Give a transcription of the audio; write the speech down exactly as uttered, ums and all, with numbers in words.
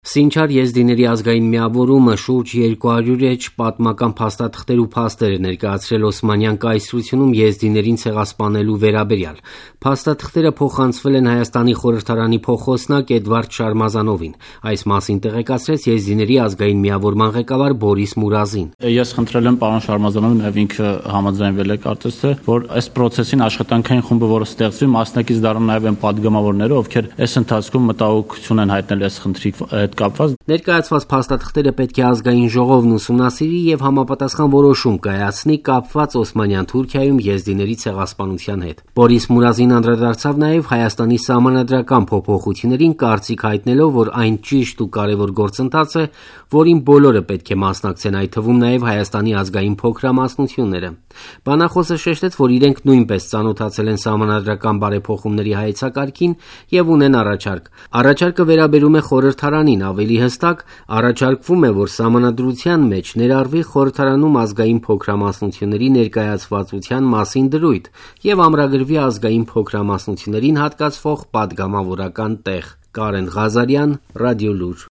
Սինչար եզդիների ազգային միավորումը շուրջ երկու հարյուր էջ պատմական փաստաթղթեր ու փաստեր է ներկայացրել Օսմանյան կայսրությունում եզդիներին ցեղասպանելու վերաբերյալ։ Փաստաթղթերը փոխանցվել են Հայաստանի խորհրդարանի փոխոսնակ Էդվարդ Շարմազանովին։ Այս մասին տեղեկացրեց եզդիների ազգային միավորման ղեկավար Բորիս Մուրազին։ Ես խնդրել եմ պարոն Շարմազանովին, եւ ինքը համաձայնվել է կարծես թե, որ այս process-ին աշխատանքային խումբը, որը ստեղծվի, մասնակից դառնան նաեւ այն падգամավորները, ովքեր այս ընթացքում մտահոգություն են հայտնել այս խնդրի կապված։ Ներկայացված փաստաթղթերը պետք է ազգային ժողովն ուսումնասիրի եւ համապատասխան որոշում կայացնի կապված Օսմանյան Թուրքիայում եզդիների ցեղասպանության հետ։ Բորիս Մուրազին անդրադարձավ նաեւ Հայաստանի սահմանադրական փոփոխություններին, կարծիք հայտնելով, որ այն ճիշտ ու կարևոր գործընթաց է, որին բոլորը պետք է մասնակցեն, այդ թվում նաեւ Հայաստանի ազգային փոքրամասնությունները։ Բանախոսը շեշտեց, որ իրենք նույնպես ծանոթացել են սահմանադրական բարեփոխումների հայեցակարգին եւ ունեն առաջարկ։ Առաջարկը վերաբերում է խորհրդարանին, ավելի հստակ առաջարկվում է, որ սահմանադրության մեջ ներառվի խորհրդարանում ազգային փոքրամասնությունների ներկայացվածության մասին դրույթ եւ ամրագրվի ազգային փոքրամասնություններին հատկացվող պատգամավորական տեղ։ Կարեն Ղազարյան, Ռադիոլուր։